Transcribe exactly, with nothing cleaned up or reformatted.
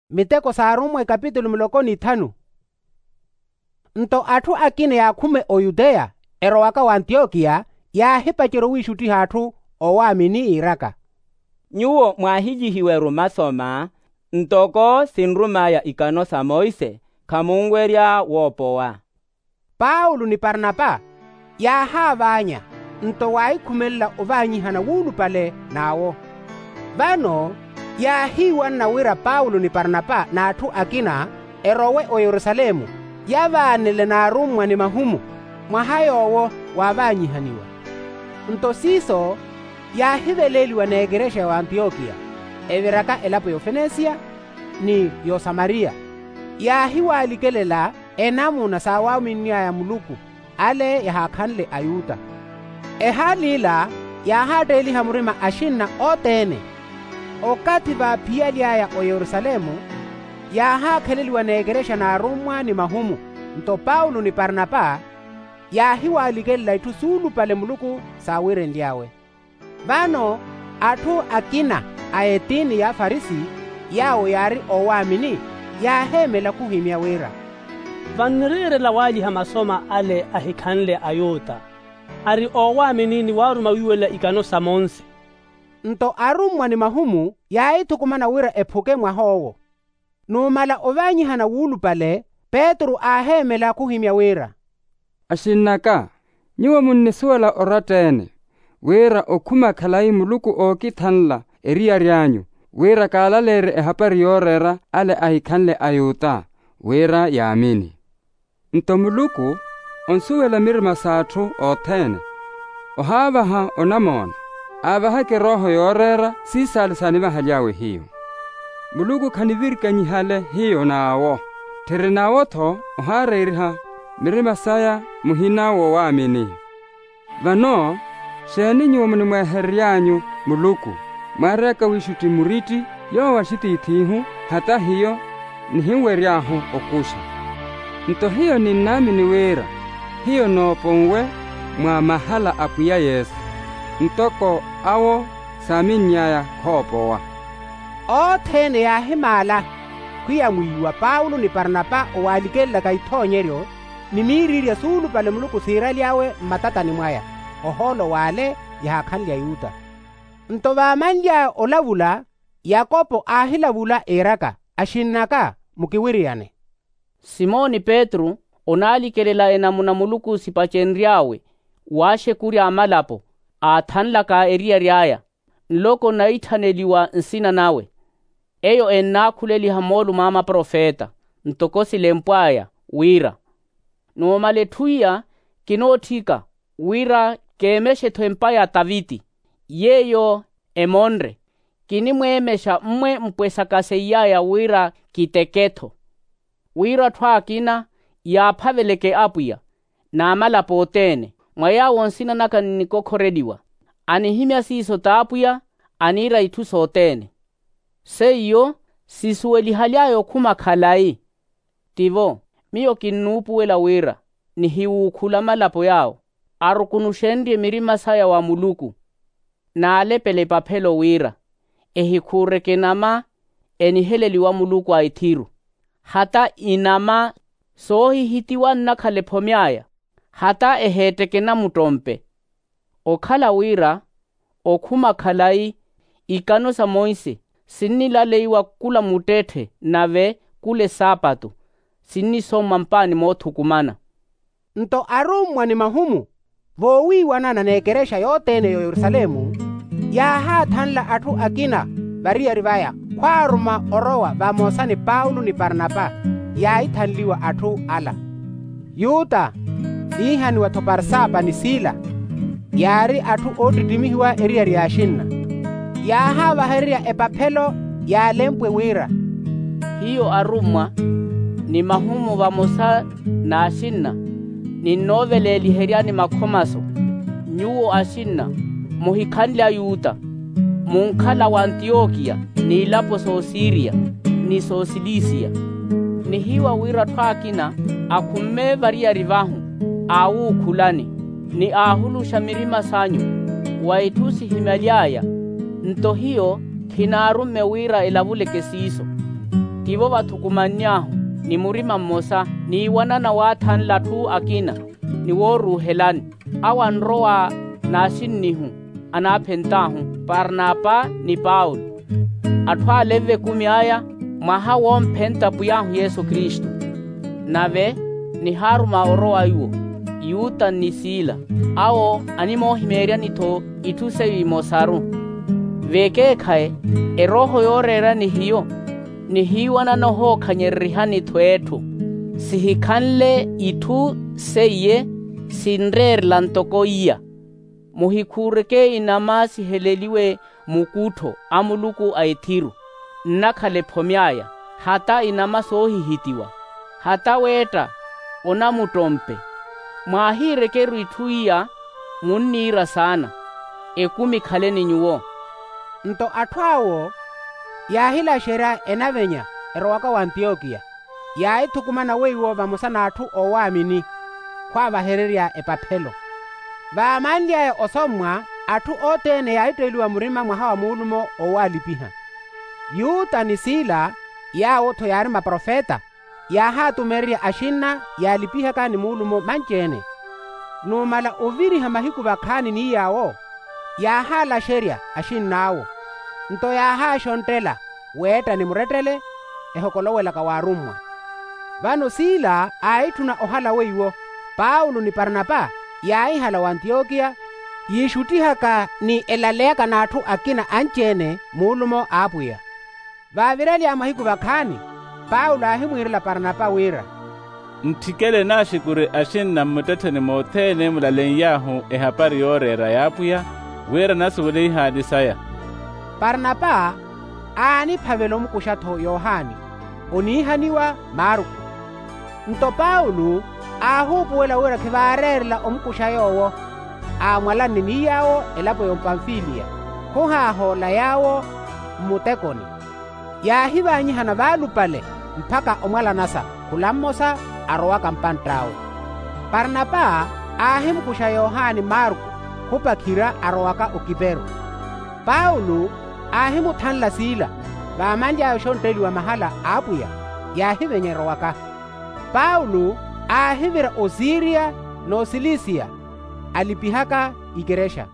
Miteko s'arummwa ikapitulu muloko n'ithanu. Nto atthu akina yaakhuma oyuteya erowaka w'antiyokiya, yaahipacerya owiixuttiha atthu owaamini yiiraka, nyuwo mwaahilyihiwa-ru masoma, ntoko sinrum'aya ikano sa monse, khamunwerya woopowa. Paulo ni parnapa yaahaavaanya, nto waahikhumelela ovaanyihana wuulupale n'awo. Vano yaahiiwanna wira paulo ni parnapa n'atthu akina erowe oyerusalemu, yavaanele n'arummwa ni mahumu, mwaha yoowo waavaanyihaniwa. Nto siiso yaahiveleeliwa n'ekerexa ya antiyokiya, eviraka elapo y'ofenesiya ni y'osamariya. Yaahiwaalikelela enamuna saawaaminn'aya muluku ale yahaakhanle ayuta. Ehaali ila yaahaatteeliha murima axinna othene. Okathi vaaphiyaly'aya oyerusalemu, yaahaakheleliwa n'ekerexa n'arummwa ni mahumu. Nto paulo ni parnapa yaahiwaalikelela itthu suulupale muluku saawiirenly'awe. Vano atthu akina a etiini y'afarisi, yaawo yaari oowaamini, yaaheemela khuhimya wira, vanniriirela waalyiha masoma ale ahikhanle ayuta, ari oowaamini ni waaruma wiiwelela ikano sa monse. Nto arummwa ni mahumu yaahithukumana wira ephuke mwah'owo. Numala ovaanyihana wuulupale, petru aaheemela khuhimya wira, axinn'aka, nyuwo munnisuwela oratta-ene, wira okhuma khalayi muluku ookithanla eriyari anyu, wira kaalaleerye ehapari yooreera ale ahikhanle ayuta, wira yaamini. Nto muluku onsuwela mirima s'atthu othene, ohaavaha onamoona, aavahaka erooho yooreera siisaale saanivahaly'awe hiyo. Muluku khanivirikanyihale hiyo n'awo, tthiri n'awo-tho ohaareeriha mirima saya muhina woowaamini. Vano xeeni nyuwo munimweeherery'anyu muluku, mwaaryaka wiixutti muritthi yoowo axitiith'ihu, hata hiyo nihinwery'ahu okuxa. Nto hiyo ninnaamini wira hiyo nooponwe mwa mahala a pwiya yesu, ntoko awo saaminny'aya khoopowa. Othene yaahimaala khwiyamwiiwa paulo ni parnapa owalikelelaka ithoonyeryo ni miiriirya suulupale muluku siiraly'awe mmatatani mwaya, ohoolo w'ale yahaakhanle ayuta. Nto vaamanly'aya olavula, yakopo aahilavula iiraka, axinn'aka, mukiwiriyane. Simoni petru onaalikelela enamuna muluku sipacenry'awe waaxekurya amalapo aathanlaka eriyari aya, nloko naithaneliwa nsina nawe. Eyo ennaakhuleliha moolumo a maprofeta ntoko silempw'aya, wira numala etthu iya kinootthika wira keemexe-tho empa ya taviti, yeeyo emonre. Kinimweemexa mmwe mpwesaka seiy'aya wira kiteke-tho, wira atthu akina yaaphaveleke apwiya n'amalapo othene, mwa yaawo nsina naka nnikokhoreliwa. Anihimya siiso t'apwiya, aniira itthu sothene. Seiyo sisuwelihaly'aya okhuma khalayi. Tivo, miyo kinnuupuwela wira nihiwuukhula amalapo yaawo arukunuxenrye mirima saya wa muluku, n'alepela epaphelo wira ehikhuureke enama eniheleliwa muluku a ethiru, hata inama soohihitiwa nnakhala ephomy'aya, hata eheetteke namuttompe. Okhala wira okhuma khalayi, ikano sa monse sinnilaleiwa khula muttetthe nave khula esaapatu sinnisommwa mpaani moothukumana. Nto arummwa ni mahumu voowiiwanana n'ekerexa yothene y'oyerusalemu, yaahaathanla atthu akina variyari vaya khwaaruma orowa vamosa ni paulo ni parnapa. Yaahithanliwa atthu ala, yuta iihaniwa-tho parsapa ni sila, yaari atthu oottittimihiwa eriyari y'axinna. Yaahaavahererya epaphelo yaalempwe wira, hiyo arummwa ni mahumu vamosa n'axinna, ninnooveleeliheryani makhomaso, nyuwo axinna muhikhanle ayuta, munkhala w'antiyokiya, n'ilapo s'osiriya ni s'osilisiya. Nihiiwa wira atthu akina akhumme variyari vahu aawuukhulani, ni aahuluxa mirima sanyu wa itthu sihimyaly'aya. Nto hiyo khinaarumme wira elavuleke siiso. Tivo vathukumanny'ahu ni murima mmosa, niiwanana waathanla atthu akina ni wooruuhelani. Awo anrowa n'asinnihu anaaphent'ahu parnapa ni paulo. Atthu ale v'ekumi aya mwaha woomphenta pwiy'ahu yesu kristu. Nave nihaaruma orowa iwo, yuta ni sila, awo animoohimeeryani-tho itthu seiyo imosaru. V'ekeekhayi erooho yooreera ni hiyo nihiiwanana ohookhanyererihani-tho etthu. Sihikhanle itthu seiye sinreerela ntoko iya. Muhikhuureke inama siheleliwe mukuttho a muluku a ethiru, nnakhala ephomy'aya, hata inama soohihitiwa, hata weetta onamuttompe. Mwaahiirekeru itthu iya munniira saana. Ekumi khaleni nyuwo. Nto atthu awo yaahilaxerya enavenya erowaka w'antiyokiya, yaahithukumana weiwo vamosa n'atthu oowaamini khwaavahererya epaphelo. Vaamanly'aya osommwa, atthu othene yaahitteeliwa murima mwaha wa muulumo oowaalipiha. Yuta ni sila, yaawo-tho yaari maprofeta, yaahaatumererya axinna yaalipihaka ni muulumo manci-ene. Numala oviriha mahiku vakhaani ni yaawo, yaahaalaxerya axinn'awo. Nto yaahaaxonttela weetta ni murettele ehokolowelaka waarummwa. Vano sila aahitthuna ohala weiwo, paulo ni parnapa yaahihala w'antiyokiya, yiixuttihaka ni elaleyaka n'atthu akina anci-ene muulumo a apwiya. Vaavirelya mahiku vakhaani, paulo aahimwiirela parnapa wira, ntthikele naaxikuri axinna mmuttettheni mothene mulaleiyahu ehapari yooreera y'apwiya, wira nasuwele ihaani saya. Parnapa aaniphavela omukuxa-tho yohani, oniihaniwa marku. Nto paulo aahuupuwela wira khivaareerela omukuxa yoowo, aamwalanne ni yaawo elapo y'ompamfiliya, khuhaahoola yaawo mmutekoni. Yaahivaanyihana vaalupale mpakha omwalanasa khula mmosa arowaka mpantt'awe. Parnapa aahimukuxa yohani marku khupakhira arowaka okiperu. Paulo aahimuthanla sila, vaamanly'aya oxontteliwa mahala a apwiya, yaahivenya erowaka. Paulo aahivira osiriya n'osilisiya, alipihaka ikerexa.